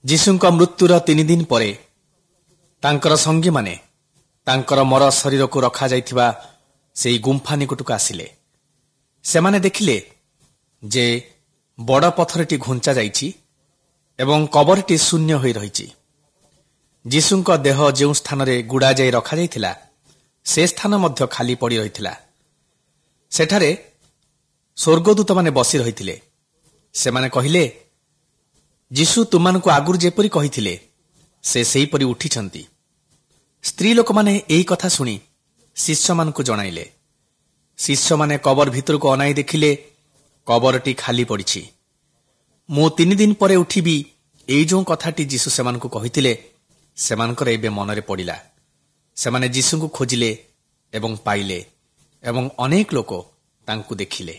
ଯୀଶୁଙ୍କ ମୃତ୍ୟୁର 3 ଦିନ ପରେ ତାଙ୍କର ସଙ୍ଗୀମାନେ ତାଙ୍କର ମର ଶରୀରକୁ ରଖାଯାଇଥିବା ସେହି ଗୁମ୍ଫା ନିକଟକୁ ଆସିଲେ। ସେମାନେ ଦେଖିଲେ ଯେ ବଡ଼ ପଥରଟି ଘୁଞ୍ଚା ଯାଇଛି ଏବଂ କବରଟି ଶୂନ୍ୟ ହୋଇ ରହିଛି। ଯୀଶୁଙ୍କ ଦେହ ଯେଉଁ ସ୍ଥାନରେ ଗୁଡ଼ାଯାଇ ରଖାଯାଇଥିଲା, ସେ ସ୍ଥାନ ମଧ୍ୟ ଖାଲି ପଡ଼ି ରହିଥିଲା। ସେଠାରେ ସ୍ୱର୍ଗଦୂତମାନେ ବସି ରହିଥିଲେ। ସେମାନେ କହିଲେ, "ଯୀଶୁ ତୁମମାନଙ୍କୁ ଆଗରୁ ଯେପରି କହିଥିଲେ, ସେ ସେହିପରି ଉଠିଛନ୍ତି।" ସ୍ତ୍ରୀ ଲୋକମାନେ ଏହି କଥା ଶୁଣି ଶିଷ୍ୟମାନଙ୍କୁ ଜଣାଇଲେ। ଶିଷ୍ୟମାନେ କବର ଭିତରକୁ ଅନାଇ ଦେଖିଲେ, କବରଟି ଖାଲି ପଡ଼ିଛି। "ମୁଁ 3 ଦିନ ପରେ ଉଠିବି," ଏଇ ଯେଉଁ କଥାଟି ଯୀଶୁ ସେମାନଙ୍କୁ କହିଥିଲେ, ସେମାନଙ୍କର ଏବେ ମନରେ ପଡ଼ିଲା। ସେମାନେ ଯୀଶୁଙ୍କୁ ଖୋଜିଲେ ଏବଂ ପାଇଲେ ଏବଂ ଅନେକ ଲୋକ ତାଙ୍କୁ ଦେଖିଲେ।